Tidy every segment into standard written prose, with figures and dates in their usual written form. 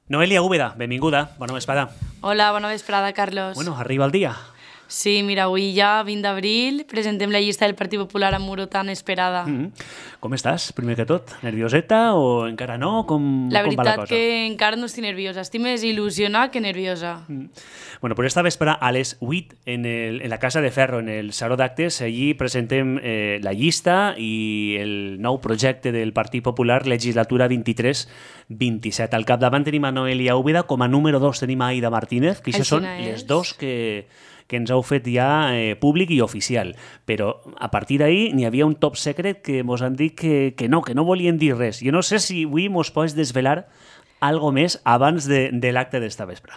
Noelia Úbeda, benvinguda, bona vesprada. Hola, bona vesprada, Carlos. Bueno, arriba el dia. Sí, mira, avui ja, 20 d'abril, presentem la llista del Partit Popular a Muro tan esperada. Com estàs, primer que tot? Nervioseta o encara no? Com La va la veritat cosa? que encara no estic nerviosa, estic més il·lusionada que nerviosa. Bueno, pues esta vespre a les 8 en la Casa de Ferro, en el Saló d'Actes, allí presentem la llista i el nou projecte del Partit Popular, legislatura 23-27. Al capdavant tenim a Noelia Úbeda, com a número 2 tenim a Aida Martínez, que això són les dos que ens heu fet ja públic i oficial. Però a partir d'ahir n'hi havia un top secret que mos han dit que no volien dir res. Jo no sé si avui mos pots desvelar algo més abans de l'acte d'esta vespre.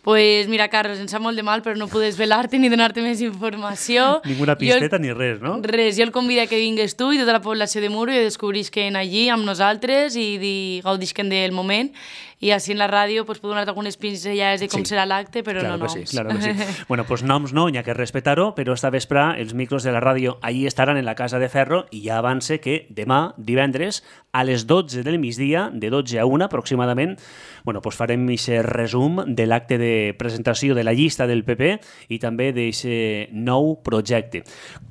Pues mira, Carlos, em sap molt de mal, però no puc desvelar-te ni donar-te més informació. Ninguna pisteta ni res, no? Res, jo el convido que vingues tu i tota la població de Muro i descobrisquen allí amb nosaltres i gaudisquen del moment. I així en la ràdio pues, puc donar-te algunes pinzellades de com serà l'acte, però claro no que noms. sí, claro que sí. Bueno, pues noms no, n'hi ha que respetar-ho, però esta vespre els micros de la ràdio allí estaran en la Casa de Ferro i ja avance que demà, divendres, a les 12 del migdia, de 12 a 1 aproximadament, bueno, pues farem aquest resum de l'acte de presentació de la llista del PP i també d'aquest nou projecte.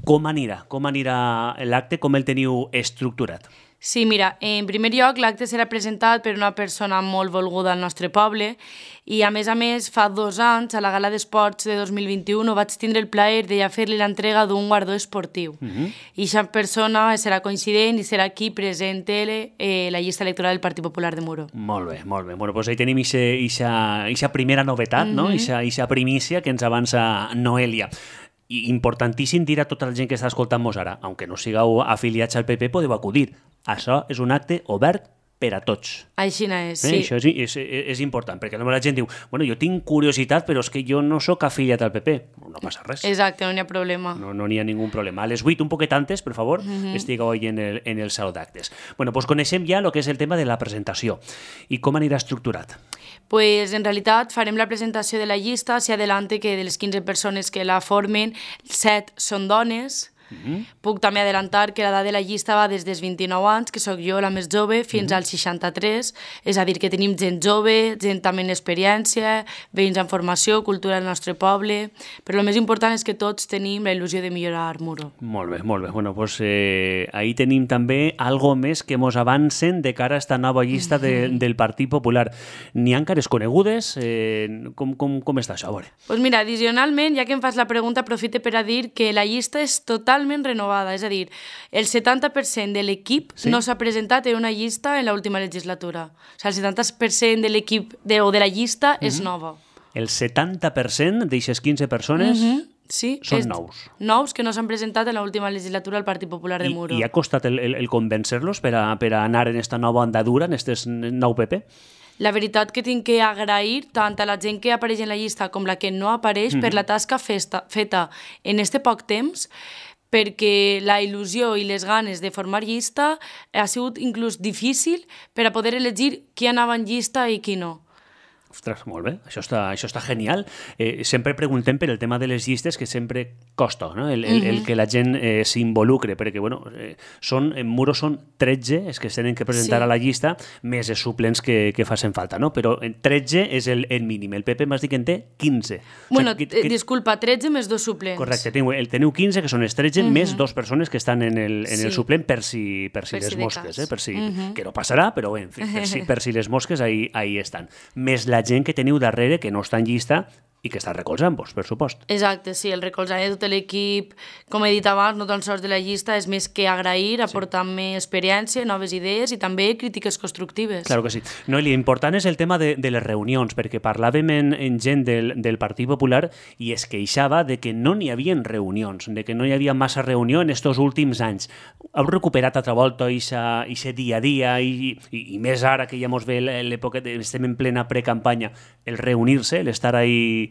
Com anirà? Com anirà l'acte? Com el teniu estructurat? Sí, mira, en primer lloc l'acte serà presentat per una persona molt volguda al nostre poble i a més, fa 2 anys, a la Gala d'Esports de 2021, vaig tindre el plaer de ja fer-li l'entrega d'un guardó esportiu. I aquesta persona serà coincident i serà qui presente la llista electoral del Partit Popular de Muro. Molt bé, molt bé. Bueno, pues ahí tenim aquesta primera novetat, no? Aquesta primícia que ens avança Noelia. I importantíssim dir a tota la gent que està escoltant-nos ara, aunque no sigueu afiliats al PP, podeu acudir. Això és un acte obert per a tots. Així és, sí. Això és important, perquè la gent diu, bueno, jo tinc curiositat, però és que jo no sóc afiliat al PP. No passa res. Exacte, no n'hi ha problema. No n'hi ha ningú problema. A les 8, un poquet antes, per favor, estigueu ahí en el saló d'actes. Bueno, pues coneixem ja el que és el tema de la presentació. I com anirà estructurat? Pues en realitat farem la presentació de la llista, si adelante que de les 15 persones que la formen, 7 són dones. Puc també adelantar que l'edat de la llista va des dels 29 anys, que sóc jo la més jove, fins als 63, és a dir, que tenim gent jove, gent també en experiència, veïns en formació, cultura del nostre poble, però el més important és que tots tenim la il·lusió de millorar Muro. Molt bé, molt bé. Bueno, pues ahí tenim també algo més que mos avancen de cara a esta nova llista del Partit Popular. N'hi ha cares conegudes? Com està això? A veure. Pues mira, addicionalment, ja que em fas la pregunta, aprofite per a dir que la llista és totalment renovada, és a dir, el 70% de l'equip no s'ha presentat en una llista en l'última legislatura. O sigui, el 70% de l'equip o de la llista és nova. El 70% d'aixes 15 persones són nous. Nous que no s'han presentat en l'última legislatura al Partit Popular de Muro. I ha costat el convencer-los per a anar en esta nova andadura, en aquest nou PP? La veritat que tinc que agrair tant a la gent que apareix en la llista com la que no apareix per la tasca feta en este poc temps, perquè la il·lusió i les ganes de formar llista ha sigut inclús difícil per a poder elegir qui anava en llista i qui no. Ostres, molt bé, això està genial. Sempre preguntem per el tema de les llistes, que sempre costa, no? el que la gent s'involucre, perquè bueno, en Muro són 13 els que es tenen que presentar a la llista, més els suplents que facin falta, no? Però 13 és el mínim. El PP m'has dit que en té 15. Bueno, disculpa, 13 més 2 suplents. Correcte, teniu 15, que són els 13, més 2 persones que estan en el suplent per si les mosques, que no passarà, però bé, en fi, per si les mosques ahí estan. Més la gent que teniu darrere, que no està en llista i que està recolzant-vos, per supost. Exacte, sí, el recolzament de tot l'equip, com he dit abans, no tan sols de la llista, és més que agrair, aportant-me experiència, noves idees i també crítiques constructives. Claro que sí. Noelia, important és el tema de les reunions, perquè parlàvem en gent del Partit Popular i es queixava de que no n'hi havia reunions, de que no hi havia massa reunió en estos últims anys. Heu recuperat altra volta aquest dia a dia i més ara que ja mos ve l'època, estem en plena precampanya, el reunir-se, l'estar ahí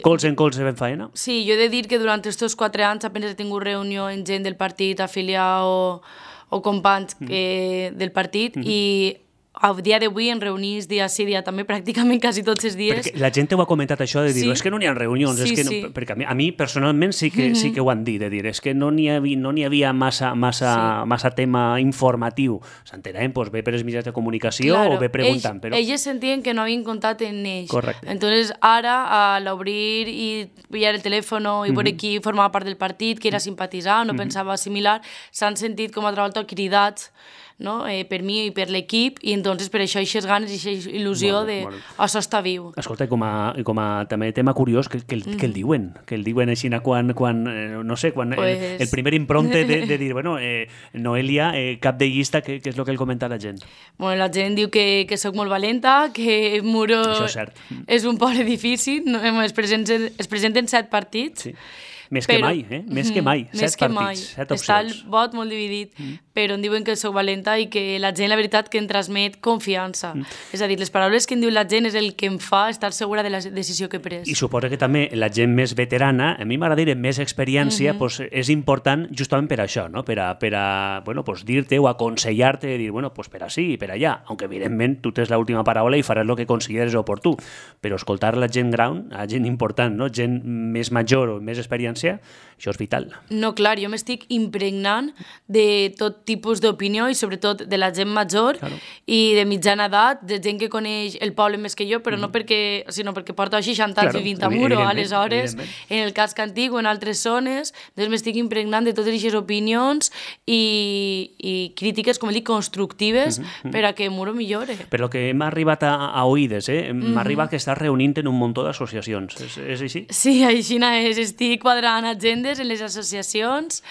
colze en colze ben faena? Sí, jo he de dir que durant aquests 4 anys apenas he tingut reunió amb gent del partit afiliat o companys del partit i a dia d'avui en reunís dia sí, dia també, pràcticament quasi tots els dies. Perquè la gent ho ha comentat això, de dir, és que no n'hi ha reunions, Sí, és que no, sí. perquè a mi personalment sí que ho han dit, de dir, és que no n'hi havia massa tema informatiu. S'entenem, doncs ve per els mitjans de comunicació o ve preguntant. Però... Ells sentien que no havien comptat en ells. Correcte. Entonces, ara, al obrir i pillar el telèfon i veure qui formava part del partit, qui era simpatitzant o pensava similar, s'han sentit com a altra volta cridats, no? Per mi i per l'equip, i entonces per això aquestes ganes i aquesta il·lusió de això està viu. Escolta, i com a també tema curiós, que el diuen? Que el diuen així quan no sé, quan el primer imprompte de dir, bueno, Noelia, cap de llista, què és el que el comenta la gent? Bueno, la gent diu que soc molt valenta, que Muro és un poble difícil, no? es presenten 7 partits. Sí. Més que mai, Més que mai. 7 partits, 7 opcions. Està el vot molt dividit, però em diuen que soc valenta i que la gent, la veritat, que em transmet confiança. És a dir, les paraules que em diu la gent és el que em fa estar segura de la decisió que he pres. I suposo que també la gent més veterana, a mi m'agrada dir més experiència, pues, és important justament per això, no? Per a bueno, pues, dir-te o aconsellar-te, dir, bueno, pues per així i per allà, aunque evidentment tu tens l'última paraula i faràs el que consideres oportú, però escoltar la gent gran, la gent important, no? Gent més major o més experiència, això és vital. No, clar, jo m'estic impregnant de tot tipus d'opinió i sobretot de la gent major i de mitjana edat, de gent que coneix el poble més que jo, però no perquè, sinó perquè porto 60 anys vivint a Muro, aleshores, en el casc antic o en altres zones, doncs m'estic impregnant de totes aquestes opinions i crítiques, com dic, constructives per a que Muro millore. Per lo que hem arribat a oïdes, m'ha arribat que estàs reunint en un munt d'associacions, és així? Sí, així és, estic quadrant agendes en les associacions,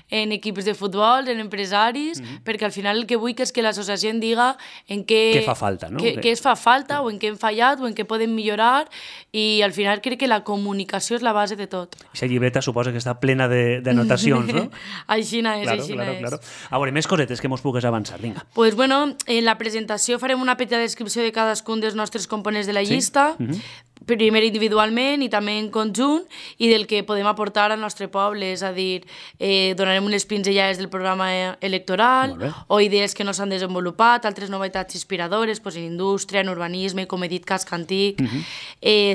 en equips de futbol, en empresaris, perquè al final el que vull és que l'associació em diga en què fa falta, no? Què es fa falta o en què hem fallat o en què podem millorar, i al final crec que la comunicació és la base de tot. Aquesta llibreta suposa que està plena d'anotacions, no? Així és. Claro. A veure, més cosetes que mos pugues avançar, vinga. Pues bueno, en la presentació farem una petita descripció de cadascun dels nostres components de la llista, primer individualment i també en conjunt, i del que podem aportar al nostre poble, és a dir, donarem unes pinzellades del programa electoral o idees que no s'han desenvolupat, altres novetats inspiradores en indústria, en urbanisme, com he dit, casc antic,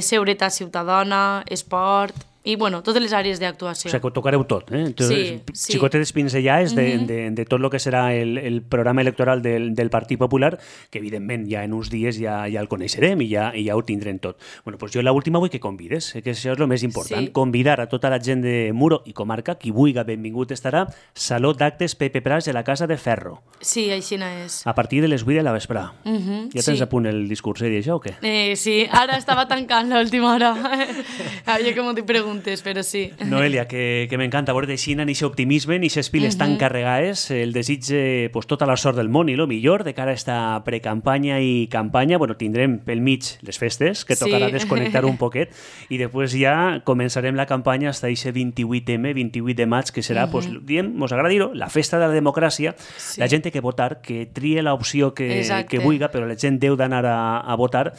seguretat ciutadana, esport, i, bueno, totes les àrees d'actuació. O sigui, que ho tocareu tot, Sí. Xicotetes pinzellades de tot el que serà el programa electoral del Partit Popular, que evidentment ja en uns dies ja el coneixerem i ja ho tindrem tot. Bueno, doncs jo l'última vull que convides, que això és el més important, convidar a tota la gent de Muro i comarca, qui vulgui, benvingut estarà, Saló d'Actes Pepe Prats de la Casa de Ferro. Sí, així és. A partir de les 8 de la vesprà. Ja tens a punt el discurset i això o què? Sí, ara estava tancant l'última hora. Havia que m'ho preguntes, però sí. Noelia, que m'encanta veure així en aquest optimisme, en aquestes piles tan carregades, el desig pues, tota la sort del món i el millor de cara a esta precampanya i campanya. Bueno, tindrem pel mig les festes, que tocarà desconnectar un poquet, i després ja començarem la campanya fins a aquest 28M, 28 de maig, que serà, pues, diem, mos agrada dir-ho, la festa de la democràcia. La gent té que votar, que trie l'opció que vulgui, però la gent deu d'anar a votar,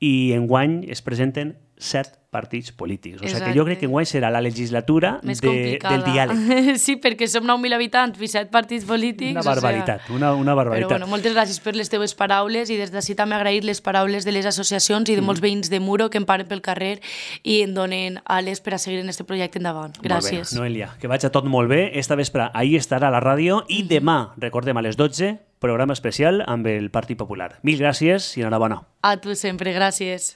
i enguany es presenten 7 partits polítics. O sigui que jo crec que enguany serà la legislatura del diàleg. Sí, perquè som 9.000 habitants i 7 partits polítics. Una barbaritat, una barbaritat. Però bueno, moltes gràcies per les teves paraules, i des d'ací també agrair les paraules de les associacions i de molts veïns de Muro que em paren pel carrer i em donen ales per a seguir en aquest projecte endavant. Gràcies. Molt bé, Noelia, que vagi tot molt bé. Esta vespre ahí estarà la ràdio i demà, recordem, a les 12, programa especial amb el Partit Popular. Mil gràcies i enhorabona. A tu sempre, gràcies.